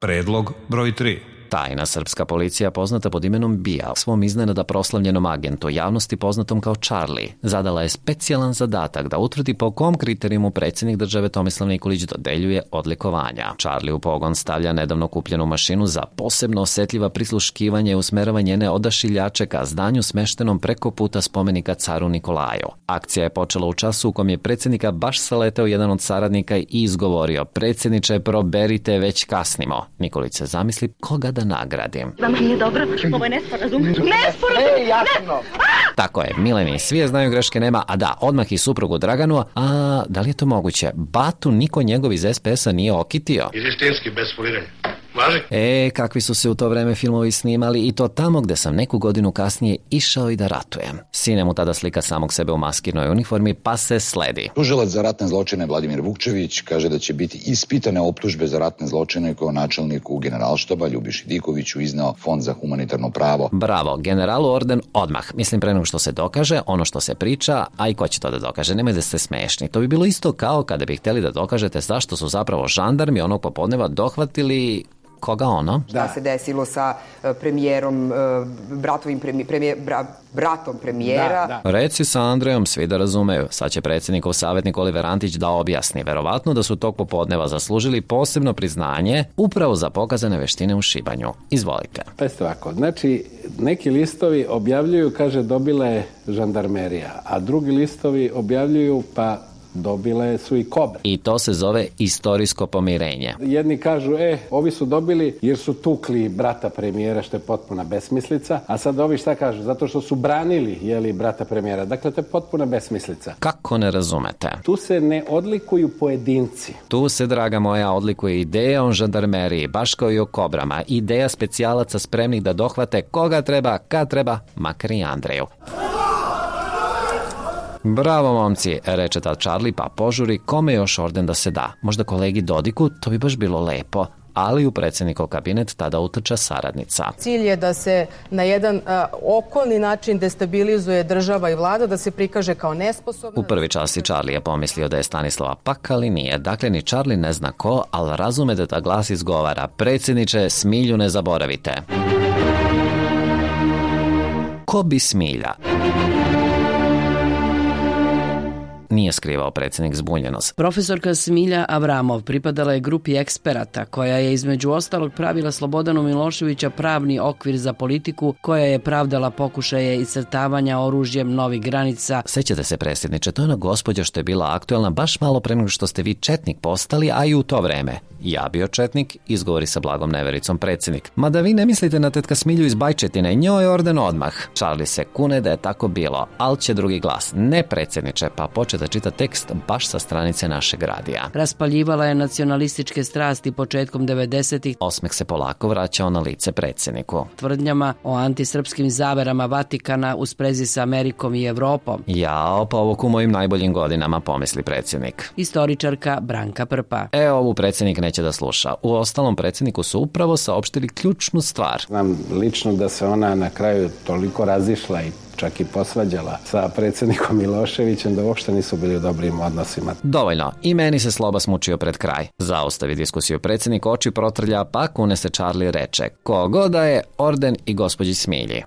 Predlog broj 3. Tajna srpska policija, poznata pod imenom BIA, svom iznenada proslavljenom agentu, javnosti poznatom kao Charlie, zadala je specijalan zadatak da utvrdi po kom kriterijumu predsjednik države Tomislav Nikolić dodeljuje odlikovanja. Charlie u pogon stavlja nedavno kupljenu mašinu za posebno osjetljiva prisluškivanja i usmerava njene odašiljače ka zdanju smeštenom preko puta spomenika caru Nikolaju. Akcija je počela u času u kom je predsjednika baš saleteo jedan od saradnika i izgovorio: "Predsjedniče, proberite, već kasnimo." Nikolić se zamisli koga da nagradim. Vama nije dobro? Ovo je nesporazum. Nesporazum! Jasno! Tako je, Mileni, svi je znaju, greške nema, a da, odmah i suprugu Draganu, a da li je to moguće? Batu niko njegov iz SPS-a nije okitio. Izistinski, bez foliranja. Važi? Kakvi su se u to vreme filmovi snimali, i to tamo gde sam neku godinu kasnije išao i da ratujem. Sine mu tada slika samog sebe u maskirnoj uniformi, pa se sledi. Tužilac za ratne zločine Vladimir Vukčević kaže da će biti ispitane optužbe za ratne zločine koje načelniku Generalštaba Ljubiši Dikoviću izneo Fond za humanitarno pravo. Bravo, generalu orden odmah. Mislim, pre nego što se dokaže, ono što se priča, a i ko će to da dokaže, nemoj da ste smešni. To bi bilo isto kao kada bi htjeli da dokažete zašto su zapravo žandarmi onog popodneva dohvatili... Koga ono? Šta se desilo sa premijerom, bratom premijera. Da. Reci sa Andrejom, svi da razumeju. Sad će predsjednikov savjetnik Oliver Antić da objasni. Verovatno da su tog popodneva zaslužili posebno priznanje upravo za pokazane veštine u šibanju. Izvolite. Pazite ovako, znači neki listovi objavljuju, kaže, dobila je žandarmerija, a drugi listovi objavljuju, pa dobile su i kobre. I to se zove istorijsko pomirenje. Jedni kažu, ovi su dobili jer su tukli brata premijera, što je potpuna besmislica, a sad ovi šta kažu? Zato što su branili, brata premijera. Dakle, to je potpuna besmislica. Kako ne razumete? Tu se ne odlikuju pojedinci. Tu se, draga moja, odlikuje ideja o žandarmeriji, baš kao i o kobrama. Ideja specijalaca spremnih da dohvate koga treba, kad treba, makar i Andreju. Bravo, momci, reče tad Charlie, pa požuri kome još orden da se da. Možda kolegi Dodiku, to bi baš bilo lepo. Ali u predsjednikov kabinet tada utrča saradnica. Cilj je da se na jedan okolni način destabilizuje država i vlada, da se prikaže kao nesposobna. U prvi čas i Charlie je pomislio da je Stanislava Pak, ali nije. Dakle, ni Charlie ne zna ko, ali razume da ta glas izgovara: "Predsjedniče, Smilju ne zaboravite." Ko bi Smilja? Nije skrivao predsjednik zbunjenost. Profesorka Smilja Avramov pripadala je grupi eksperata koja je između ostalog pravila Slobodanu Miloševića pravni okvir za politiku, koja je pravdala pokušaje iscrtavanja oružjem novih granica. Sećate se, predsjedniče, to je ona gospođa što je bila aktuelna baš malo pre nego što ste vi četnik postali, a i u to vreme. Ja bio četnik, izgovori sa blagom nevericom predsjednik. Mada vi ne mislite na tetka Smilju iz Bajčetine, njoj orden odmah. Charlie se kune da je tako bilo, ali će drugi glas: "Ne, predsjedniče", pa počne da čita tekst baš sa stranice našeg radija. Raspaljivala je nacionalističke strasti početkom 90-ih. Osmeh se polako vraćao na lice predsjedniku. Tvrdnjama o antisrpskim zaverama Vatikana u sprezi sa Amerikom i Evropom. Jao, pa ovo u mojim najboljim godinama, pomisli predsjednik. Istoričarka Branka Prpa. Ovu predsjednik neće da sluša. U ostalom, predsjedniku su upravo saopštili ključnu stvar. Znam lično da se ona na kraju toliko razišla i čak i posvađala sa predsjednikom Miloševićem da uopšte nisu bili u dobrim odnosima. Dovoljno. I meni se sloba smučio pred kraj. Zaustavi diskusiju predsjednik, oči protrlja, pa kune se Charlie, reče: "Ko god da je, orden i gospođi Smilji."